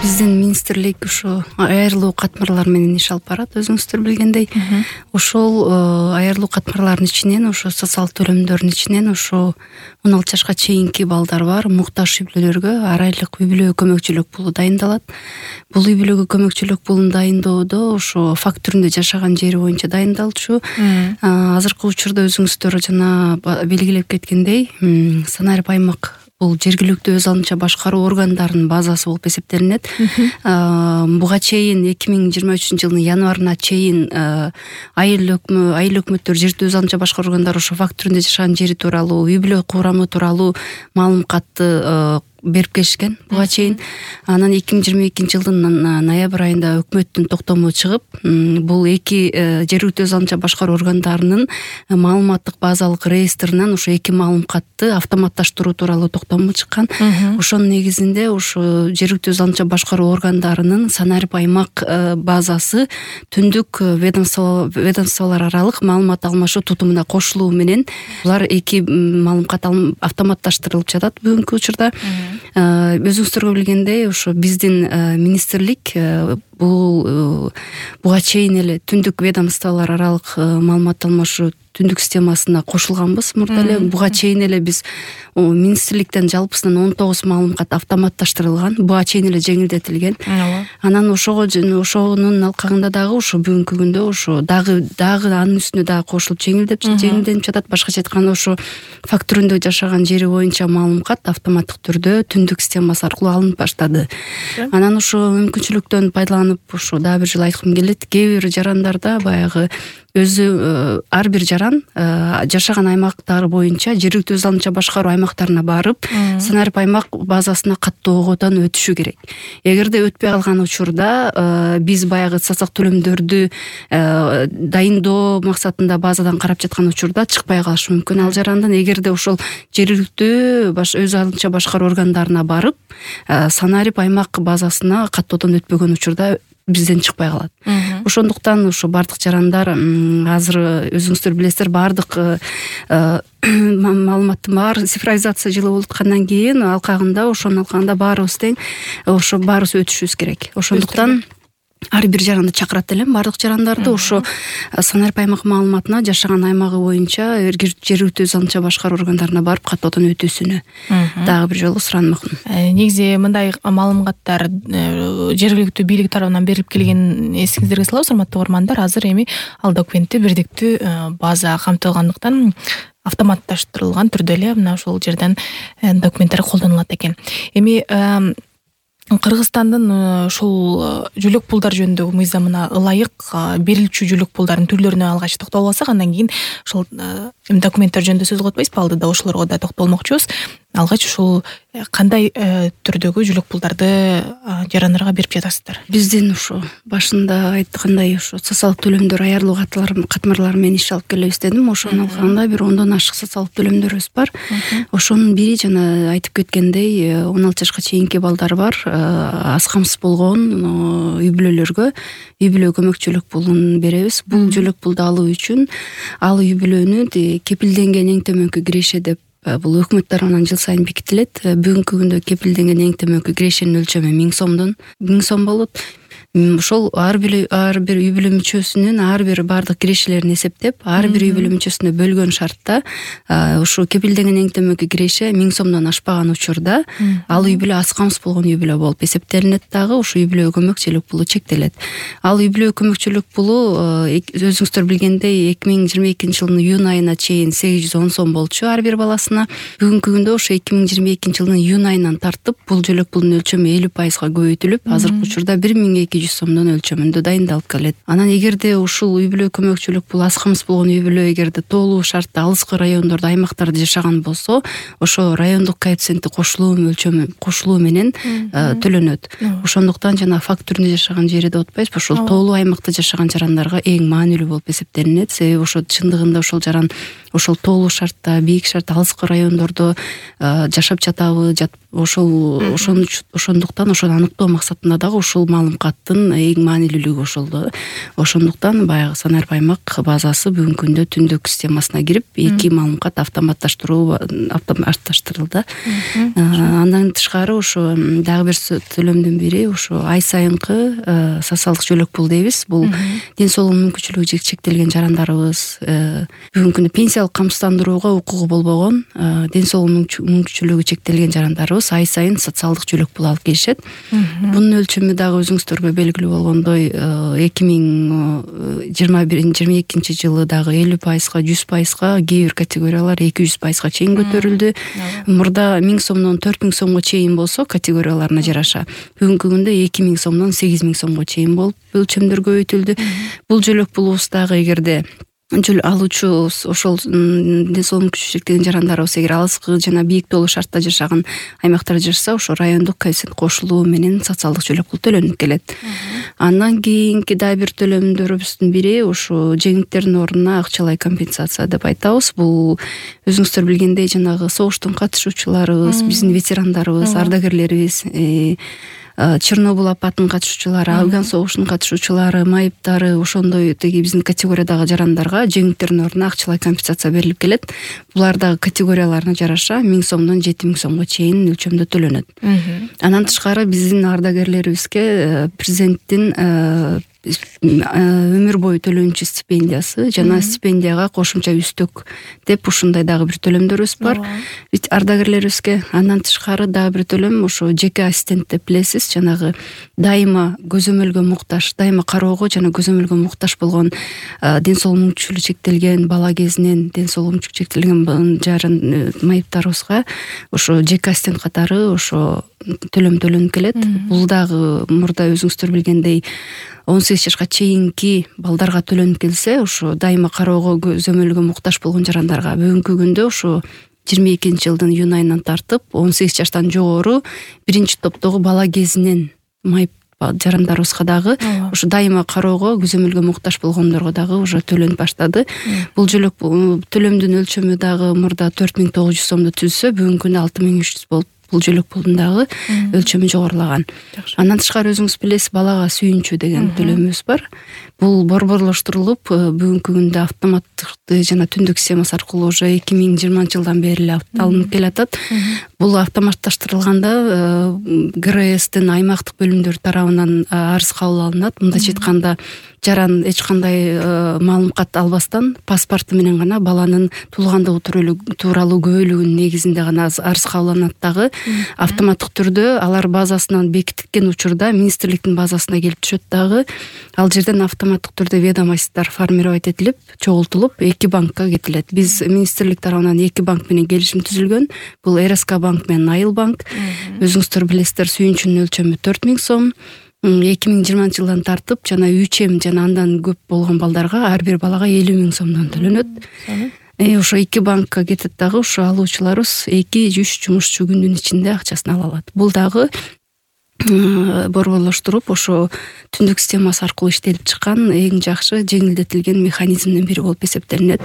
Биздин министрлик ошо айырылуу катмарлар менен иш алып барат, өзүңүздөр билгендей. Ошол айырылуу катмарлардын ичинен ошо социалдык төлөмдөрдүн ичинен ошо 16 жашка чейинки балдар бар, муктаж үй бүлөлөргө ар айлык үй бүлө көмөкчүлүк пулу дайындалат. Бул үй бүлөгө көмөкчүлүк пулун дайындоодо ошо факт түрүндө жашаган жери боюнча дайындалчу. Азыркы учурда өзүңүздөр жана белгилеп кеткендей, санарип аймак бул жергиликтүү өз алдынча башкаруу органдарынын базасы болуп эсептелинет. Буга чейин 2023 жылдын январына чейин айыл өкмөттөр, жергиликтүү өз алдынча башкаруу органдары ошо факт түрүндө жашаган жери тууралуу, үй бүлө курамы тууралуу маалыматты берип келишкен буга чейин. Анан 2022 жылдын ноябрь айында өкмөттүн токтому чыгып, бул эки жергиликтүү өз алдынча башкаруу органдарынын маалыматтык базалык реестринен ошо эки маалыматты автоматташтыруу тууралуу токтому чыккан. Ошонун негизинде ошо жергиликтүү өз алдынча башкаруу органдарынын санарип аймак базасы түндүк ведомстволор аралык маалымат алмашуу тутумуна кошулуу менен булар эки маалымат автоматташтырылып жатат бүгүнкү учурда. Өзүңүздөргө билгендей, ошо биздин министрлик буга чейин эле түндүк ведомстволор аралык маалымат алмашуу түндүк системасына кошулганбыз мурда эле. Буга чейин эле биз министрликтен жалпысынан 19 маалымат автоматташтырылган, буга чейин эле жеңилдетилген. Анан ошонун алкагында дагы ошо бүгүнкү күндө ошо дагы анын үстүнө дагы кошулуп жеңилденип жатат. Башкача айтканда ошо факт түрүндө жашаган жери боюнча маалымат автоматтык түрдө түндүк системасы аркылуу алынып баштады. Анан ошо мүмкүнчүлүктөн пайдаланып ошо дагы бир жолу айткым келет. Кээ бир жарандарда баягы өзү ар бир жаран жашаган аймактары боюнча жергиликтүү өз алдынча башкаруу аймактарына барып, санарип аймак базасына каттоодон өтүшү керек. Эгерде өтпөй калган учурда биз баягы социалдык төлөмдөрдү дайындоо максатында базадан карап жаткан учурда чыкпай калышы мүмкүн ал жарандын. Эгерде ошол жергиликтүү өз алдынча башкаруу органдарына барып, санарип аймак базасына каттоодон өтпөгөн учурда бизден чыкпай калат. Ошондуктан ошо бардык жарандар азыр өзүңүздөр билесиздер, бардык маалыматтын баары цифровизация жылы болуп аткандан кийин алкагында ошонун алкагында баарыбыз тең, ошо баарыбыз өтүшүбүз керек. Ошондуктан ар бир жаранды чакырат элем, бардык жарандарды ошо санарип аймак маалыматына жашаган аймагы боюнча жергиликтүү өз алдынча башкаруу органдарына барып каттоодон өтүүсүнө дагы бир жолу суранмакмын. Негизи мындай маалыматтар жергиликтүү бийлик тарабынан берилип келген эсиңиздерге салабыз, урматтуу угармандар. Азыр эми ал документте бирдиктүү база камтылгандыктан автоматташтырылган түрдө эле мына ошол жерден документтер колдонулат экен. Эми Кыргызстандын ушул жүлөк пулдар жөнүндөгү мыйзамына ылайык берилчү жүлөк пулдардын түрлөрүнө алгач токтолуп алсак, андан кийин ошол документтер жөнүндө сөз кылып атпайсызбы? Алдыда ошолорго да токтолмокчубуз. Алгач ушул кандай түрдөгү жүлөк пулдарды жарандарга берип жатасыздар? Биздин ошо башында айткандай ошо социалдык төлөмдөр айырылуу катмарлар менен иш алып келебиз дедим. Ошонун алкагында бир 10дон ашык социалдык төлөмдөрүбүз бар. Ошонун бири жана айтып кеткендей 16 жашка чейинки балдар бар. Аз камсыз болгон үй бүлөлөргө үй бүлө көмөкчүлүк пулун беребиз. Бул жүлөк пулду алуу үчүн ал үй бүлөнүн кепилденген эң төмөнкү киреше деп бул өкмөт тарабынан жыл сайын бекитилет. Бүгүнкү күндө кепилденген эң төмөнкү кирешенин өлчөмү 1000 сом болот. Ошол ар бир үй бүлө мүчөсүнүн ар бир бардык кирешелерин эсептеп, ар бир үй бүлө мүчөсүнө бөлгөн шартта ошо кепилденген эң төмөнкү киреше 1000 сомдон ашпаган учурда ал үй бүлө аз камсыз болгон үй бүлө болуп эсептелинет. Дагы ошо үй бүлө көмөкчүлүк пулу чектелет. Ал үй бүлө көмөкчүлүк пулу өзүңүздөр билгендей 2022 жылдын июнь айына чейин 810 сом болчу ар бир баласына. Бүгүнкү күндө ошо 2022 жылдын июнь айынан тартып бул жүлөк пулдун өлчөмү 50% көбөйтүлүп, азыркы учурда 1200 сомдон өлчөмүндө дайындалып келет. Анан эгерде ушул үй бүлө көмөкчүлүк пулу аз камсыз болгон үй бүлө эгерде тоолуу шартта алыскы райондордо, аймактарда жашаган болсо, ошо райондук коэффициенти кошулуу менен төлөнөт. Ошондуктан жана факт түрүндө жашаган жери деп атпайбызбы, ошол тоолуу аймакта жашаган жарандарга эң маанилүү болуп эсептелинет. Себеби ошо чындыгында ошол жаран ошол тоолуу шартта, бийик шартта, алыскы райондордо жашап жатабы, ошондуктан ошону аныктоо максатында дагы ушул маалыматтын эң маанилүүлүгү ошол да. Ошондуктан баягы Санарб аймак базасы бүгүнкү күндө түндүк системасына кирип, эки маалымат автоматташтырылды. Андан тышкары ошо дагы бир төлөмдүн бири ошо ай сайынкы социалдык жөлөк пул дейбиз. Бул ден соолугу мүмкүнчүлүгү чектелген жарандарыбыз, бүгүнкү күндө пенсиялык камсыздандырууга укугу болбогон, ден соолугу мүмкүнчүлүгү чектелген жарандарыбыз ай сайын социалдык жөлөк пул алып келишет. Бунун өлчөмү дагы өзүңүздөргө белгилүү болгондой 2022 жылы дагы 50%, 100%, кээ бир категориялар 200%га чейин көтөрүлдү. Мурда 1000 сомдон 4000 сомго чейин болсо категорияларына жараша, бүгүнкү күндө 2000 сомдон 8000 сомго чейин болуп өлчөмдөр көбөйтүлдү. Бул жөлөк пулубуз дагы эгерде алуучу ошол ден соолугу мүмкүнчүлүгү чектелген жарандарыбыз эгер алыскы жана бийик тоолуу шартта жашаган аймактарда жашаса, ошо райондук коэффициент кошулуу менен социалдык жөлөк пул төлөнүп келет. Андан кийинки дагы бир төлөмдөрүбүздүн бири ошо жеңилдиктердин ордуна акчалай компенсация деп айтабыз. Бул өзүңүздөр билгендей жанагы согуштун катышуучуларыбыз, биздин ветерандарыбыз, ардагерлерибиз, Чернобыль апатынын катышуучулары, Афган согушунун катышуучулары, майыптары, ошондой тиги биздин категориядагы жарандарга жеңилдиктердин ордуна акчалай компенсация берилип келет. Булар дагы категорияларына жараша 1000 сомдон 7000 сомго чейин өлчөмдө төлөнөт. Андан тышкары биздин ардагерлерибизге президенттин өмүр бою төлөнчү стипендиясы жана стипендияга кошумча үстөк деп ушундай дагы бир төлөмдөрүбүз бар ардагерлерибизге. Андан тышкары дагы бир төлөм ошо жеке ассистент деп билесиз, жанагы дайыма көзөмөлгө муктаж, дайыма кароого жана көзөмөлгө муктаж болгон ден соолугу мүмкүнчүлүгү чектелген бала кезинен ден соолугу мүмкүнчүлүгү чектелген жарын майыптарыбызга ошо жеке ассистент катары ошо төлөм төлөнүп келет. Бул дагы мурда өзүңүздөр билгендей 18 жашка чейинки балдарга төлөнүп келсе, ошо дайыма кароого көзөмөлгө муктаж болгон жарандарга бүгүнкү күндө ошо 22 жылдын июнь айынан тартып 18 жаштан жогору биринчи топтогу бала кезинен майып жарандарыбызга дагы ошо дайыма кароого көзөмөлгө муктаж болгондорго дагы уже төлөнүп баштады. Бул жөлөк төлөмдүн өлчөмү дагы мурда 4900 сомду түзсө, бүгүнкү күндө 6300 болуп, бул жөлөк пулдун дагы өлчөмү жогорулаган. Андан тышкары өзүңүз билесиз, балага сүйүнчү деген төлөмүбүз бар. Бул борборлоштурулуп, бүгүнкү күндө автоматтык жана түндүк системасы аркылуу уже 2020 жылдан бери эле алынып келатат. Бул автоматташтырылганда ГРСтин аймактык бөлүмдөр тарабынан арыз кабыл алынат. Мындайча айтканда, жаран эч кандай маалымат албастан паспорту менен гана баланын туулгандыгы тууралуу күбөлүгүнүн негизинде гана арыз кабылданат. Дагы автоматтык түрдө алар базасынан бекитилген учурда министрликтин базасына келип түшөт. Дагы ал жерден автоматтык түрдө ведомостьтор формировать этилип, чогултулуп, эки банкка кетилет. Биз министрлик тарабынан эки банк менен келишим түзүлгөн. Бул РСК банк менен Айыл банк. Өзүңүздөр билесиздер, сүйүнчүнүн өлчөмү 4000 сом. 2020 жылдан тартып жана 3М жана андан көп болгон балдарга ар бир балага 50 000 сомдон төлөнөт. Ошо эки банкка кетет. Дагы ошо алуучуларыбыз 2-3 жумушчу күндүн ичинде акчасын ала алат. Бул дагы борборлоштуруп ошо түндүк системасы аркылуу иштелип чыккан эң жакшы жеңилдетилген механизмдин бири болуп эсептелинет.